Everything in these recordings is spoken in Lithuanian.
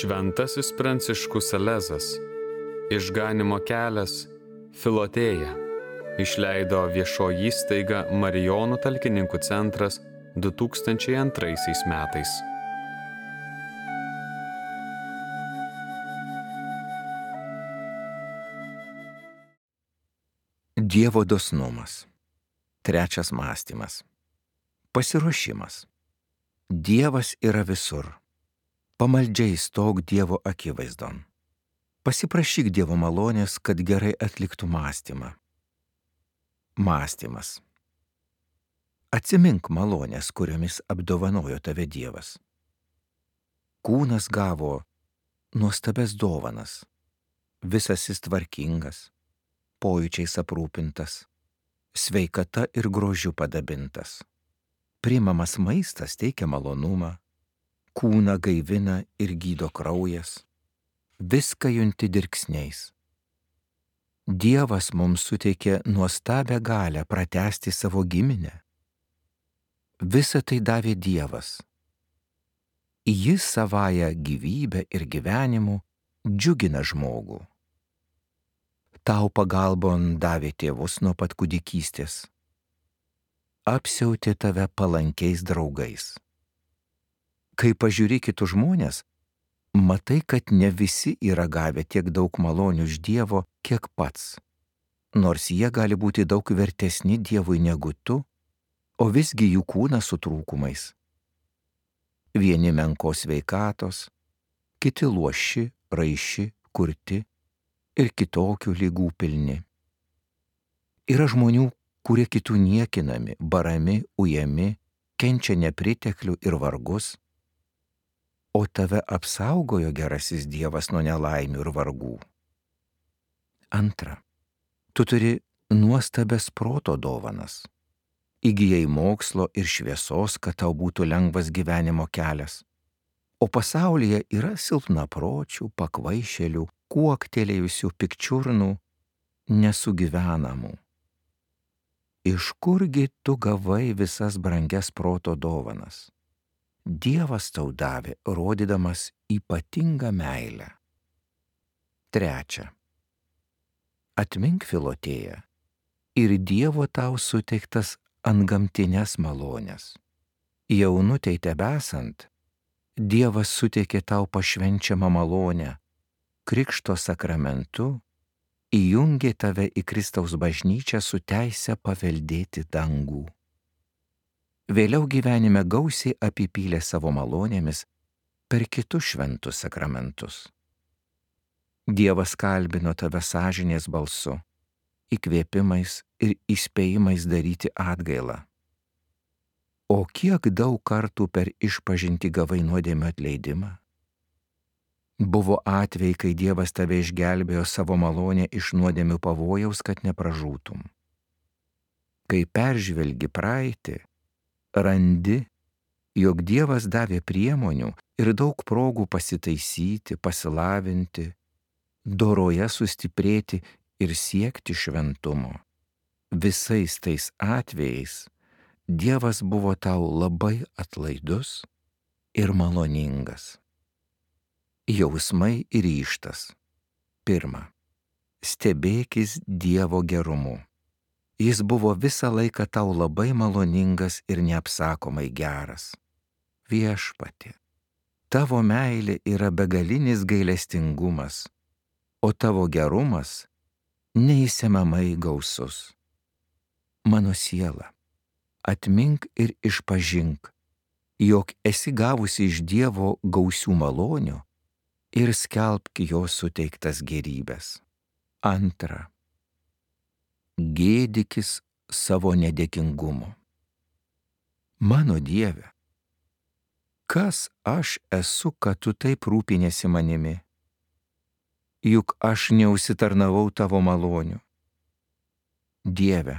Šventasis Pranciškus Salezas, Išganymo kelias, Filotėja, išleido viešoji įstaiga Marijonų talkininkų centras 2002 metais. Dievo dosnumas. Trečias mąstymas. Pasiruošimas. Dievas yra visur. Pamaldžiai stok Dievo akivaizdon. Pasiprašyk Dievo malonės, kad gerai atliktų mąstymą. Mąstymas. Atsimink malonės, kuriomis apdovanojo tave Dievas. Kūnas gavo nuostabes dovanas, visas jis tvarkingas, pojūčiais aprūpintas, sveikata ir grožiu padabintas. Priimamas maistas teikia malonumą, kūną gaivina ir gydo kraujas, viską junti dirksniais. Dievas mums suteikė nuostabią galią pratęsti savo giminę. Visa tai davė Dievas. Jis savąją gyvybę ir gyvenimu džiugina žmogų. Tau pagalbon davė tėvus nuo pat kūdikystės. Apsiautė tave palankiais draugais. Kai pažiūri kitus žmonės, matai, kad ne visi yra gavę tiek daug malonių iš Dievo, kiek pats. Nors jie gali būti daug vertesni Dievui negu tu, o visgi jų kūnas su trūkumais. Vieni menkos sveikatos, kiti luoši, raiši, kurti ir kitokių ligų pilni. Yra žmonių, kurie kitų niekinami, barami, ujami, kenčia nepriteklių ir vargus, o tave apsaugojo gerasis Dievas nuo nelaimių ir vargų. Antra, tu turi nuostabias proto dovanas. Įgijai mokslo ir šviesos, kad tau būtų lengvas gyvenimo kelias. O pasaulyje yra silpnapročių, pakvaišėlių, kuoktelėjusių pikčiurnų, nesugyvenamų. Iš kurgi tu gavai visas brangias proto dovanas? Dievas tau davė, rodydamas ypatingą meilę. Trečia. Atmink Filotėją ir Dievo tau suteiktas antgamtinės malonės. Jaunutei tebesant, Dievas suteikė tau pašvenčiamą malonę, Krikšto sakramentu įjungė tave į Kristaus bažnyčią su teise paveldėti dangų. Vėliau gyvenime gausiai apipylė savo malonėmis per kitus šventus sakramentus. Dievas kalbino tave sąžinės balsu, įkvėpimais ir įspėjimais daryti atgailą. O kiek daug kartų per išpažintį gavai nuodėmių atleidimą? Buvo atvejai, kai Dievas tave išgelbėjo savo malonę iš nuodėmių pavojaus, kad nepražūtum. Kai peržvelgi praeitį, randi, jog Dievas davė priemonių ir daug progų pasitaisyti, pasilavinti, doroje sustiprėti ir siekti šventumo. Visais tais atvejais Dievas buvo tau labai atlaidus ir maloningas. Jausmai ir ryžtas. Pirma. Stebėkis Dievo gerumu. Jis buvo visą laiką tau labai maloningas ir neapsakomai geras. Viešpatie, tavo meilė yra begalinis gailestingumas, o tavo gerumas neįsemiamai gausus. Mano siela, atmink ir išpažink, jog esi gavusi iš Dievo gausių malonių ir skelbk jo suteiktas gėrybes. Antra. Gėdykis savo nedėkingumu. Mano Dieve, kas aš esu, kad tu taip rūpinėsi manimi? Juk aš neužsitarnavau tavo malonių. Dieve,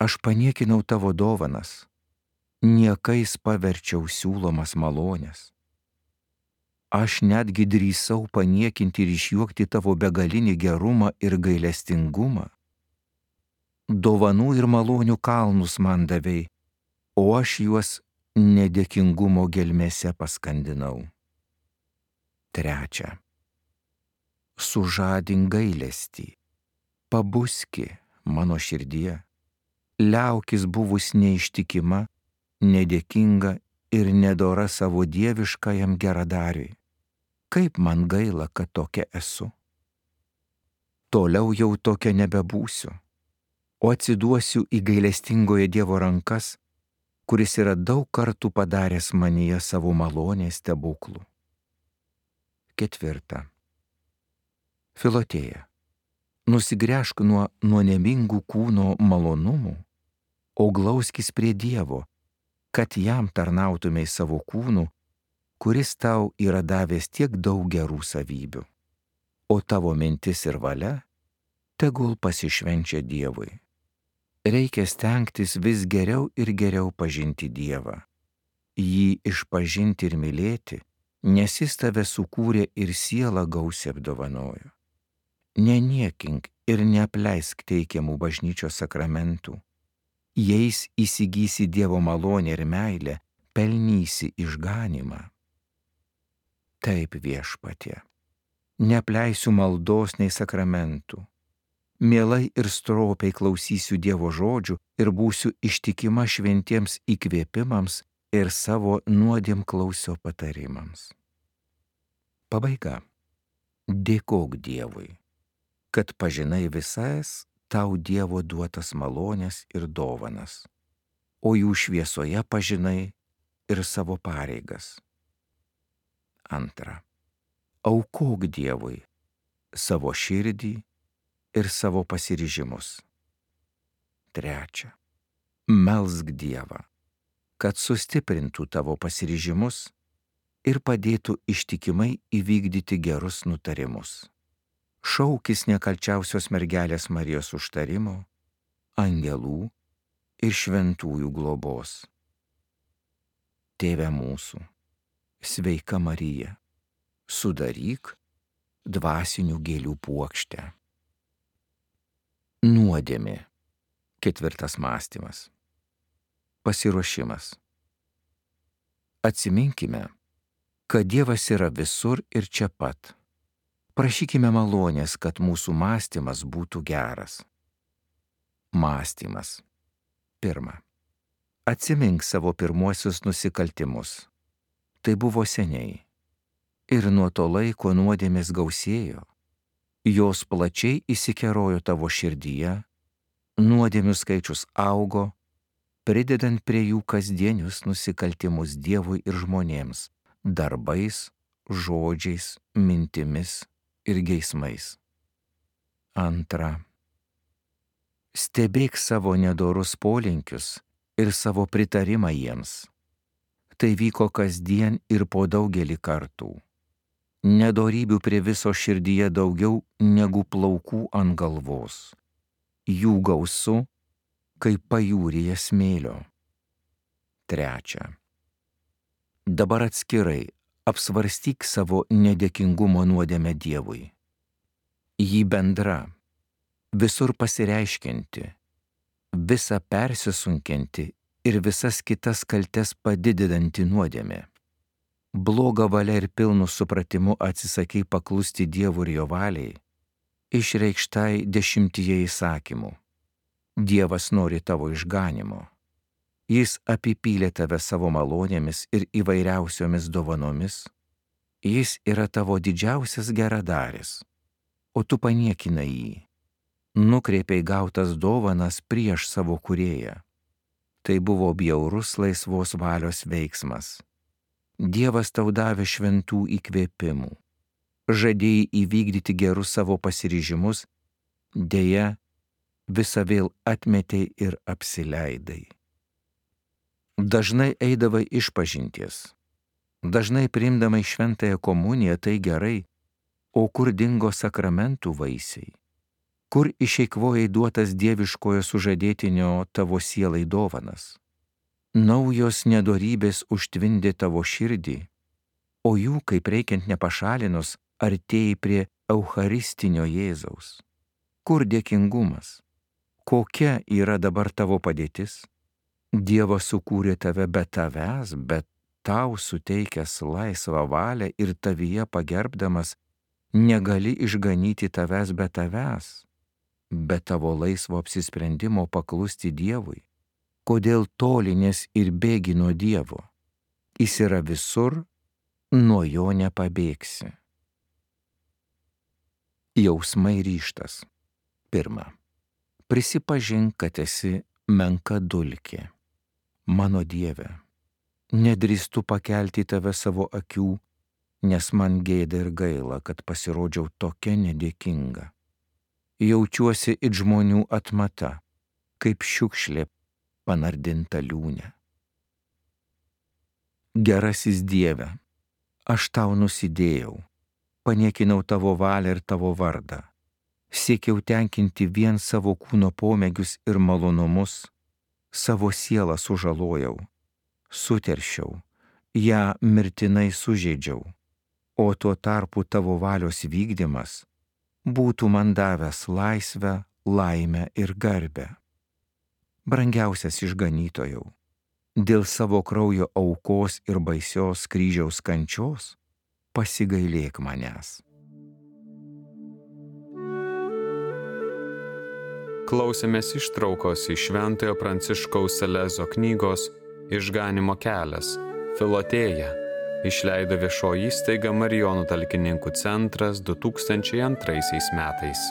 aš paniekinau tavo dovanas, niekais paverčiau siūlomas malonės. Aš netgi drįsau paniekinti ir išjuokti tavo begalinį gerumą ir gailestingumą. Dovanų ir malonių kalnus man davei, o aš juos nedėkingumo gelmėse paskandinau. Trečia. Sužadink gailestį, pabuski mano širdie, liaukis buvus neištikima, nedėkinga ir nedora savo dieviškajam geradariui. Kaip man gaila, kad tokia esu. Toliau jau tokia nebebūsiu, o atsiduosiu į gailestingojo Dievo rankas, kuris yra daug kartų padaręs manyje savo malonės stebuklų. Ketvirta. Filotėja, nusigręžk nuo nuodėmingų kūno malonumų, o glauskis prie Dievo, kad jam tarnautumei savo kūnu, kuris tau yra davęs tiek daug gerų savybių, o tavo mintis ir valia tegul pasišvenčia Dievui. Reikia stengtis vis geriau ir geriau pažinti Dievą, jį išpažinti ir mylėti, nes jis tave sukūrė ir sielą gausiai apdovanojo. Neniekink ir neapleisk teikiamų bažnyčios sakramentų. Jais įsigysi Dievo malonę ir meilę, pelnysi išganymą. Taip, Viešpatie, neapleisiu maldos nei sakramentų. Mielai ir stropiai klausysiu Dievo žodžių ir būsiu ištikima šventiems įkvėpimams ir savo nuodėmklausio patarimams. Pabaiga. Dėkok Dievui, kad pažinai visas tau Dievo duotas malonės ir dovanas, o jų šviesoje pažinai ir savo pareigas. Antra. Aukok Dievui savo širdį ir savo pasiryžimus. Trečia. Melsk Dievą, kad sustiprintų tavo pasiryžimus ir padėtų ištikimai įvykdyti gerus nutarimus. Šaukis nekalčiausios mergelės Marijos užtarimo, angelų ir šventųjų globos. Tėve mūsų, sveika Marija, sudaryk dvasinių gėlių puokštę. Nuodėmė. Ketvirtas mąstymas. Pasiruošimas. Atsiminkime, kad Dievas yra visur ir čia pat. Prašykime malonės, kad mūsų mąstymas būtų geras. Mąstymas. Pirma. Atsimink savo pirmuosius nusikaltimus. Tai buvo seniai. Ir nuo to laiko nuodėmės gausėjo. Jos plačiai įsikerojo tavo širdyje, nuodėmių skaičius augo, pridedant prie jų kasdienius nusikaltimus Dievui ir žmonėms, darbais, žodžiais, mintimis ir geismais. Antra. Stebėk savo nedorus polinkius ir savo pritarimą jiems. Tai vyko kasdien ir po daugelį kartų. Nedorybių prie viso širdyje daugiau negu plaukų ant galvos. Jų gausu, kaip pajūryje smėlio. Trečia. Dabar atskirai apsvarstyk savo nedėkingumo nuodėmę Dievui. Jį bendra, visur pasireiškianti, visą persisunkianti ir visas kitas kaltes padidinanti nuodėmė. Bloga valia ir pilnu supratimu atsisakai paklusti Dievui ir jo valiai, išreikštai 10 įsakymų. Dievas nori tavo išganimo. Jis apipylė tave savo malonėmis ir įvairiausiomis dovanomis. Jis yra tavo didžiausias geradaris, o tu paniekinai jį. Nukreipiai gautas dovanas prieš savo kūrėją. Tai buvo bjaurus laisvos valios veiksmas. Dievas tau davė šventų įkvėpimų. Žadėjai įvykdyti gerus savo pasiryžimus, deja, visą vėl atmetei ir apsileidai. Dažnai eidavai išpažinties, dažnai priimdamai šventąją komuniją, tai gerai, o kur dingo sakramentų vaisiai? Kur išeikvojai duotas dieviškojo sužadėtinio tavo sielai dovanas? Naujos nedorybės užtvindė tavo širdį, o jų, kaip reikiant nepašalinus, artėjai prie eucharistinio Jėzaus. Kur dėkingumas? Kokia yra dabar tavo padėtis? Dievas sukūrė tave be tavęs, bet tau suteikęs laisvą valią ir tavyje pagerbdamas, negali išganyti tavęs be tavęs, be tavo laisvo apsisprendimo paklusti Dievui? Kodėl tolinies ir bėgi nuo Dievo? Jis yra visur, nuo jo nepabėgsi. Jausmai ryžtas. 1. Prisipažink, kad esi menka dulkė. Mano Dieve, nedrįstu pakelti tave savo akių, nes man gėda ir gaila, kad pasirodžiau tokia nedėkinga. Jaučiuosi it žmonių atmata, kaip šiukšlė panardinta liūne. Gerasis Dieve, aš tau nusidėjau, paniekinau tavo valią ir tavo vardą, siekiau tenkinti vien savo kūno pomėgius ir malonumus, savo sielą sužalojau, suteršiau, ją mirtinai sužeidžiau, o tuo tarpu tavo valios vykdymas būtų man davęs laisvę, laimę ir garbę. Brangiausias išganytojau, dėl savo kraujo aukos ir baisios kryžiaus kančios pasigailėk manęs. Klausėmės ištraukos iš Šventojo Pranciškaus Salezo knygos Išganymo kelias – Filotėja, išleido viešoji įstaiga Marijonų talkininkų centras 2002 metais.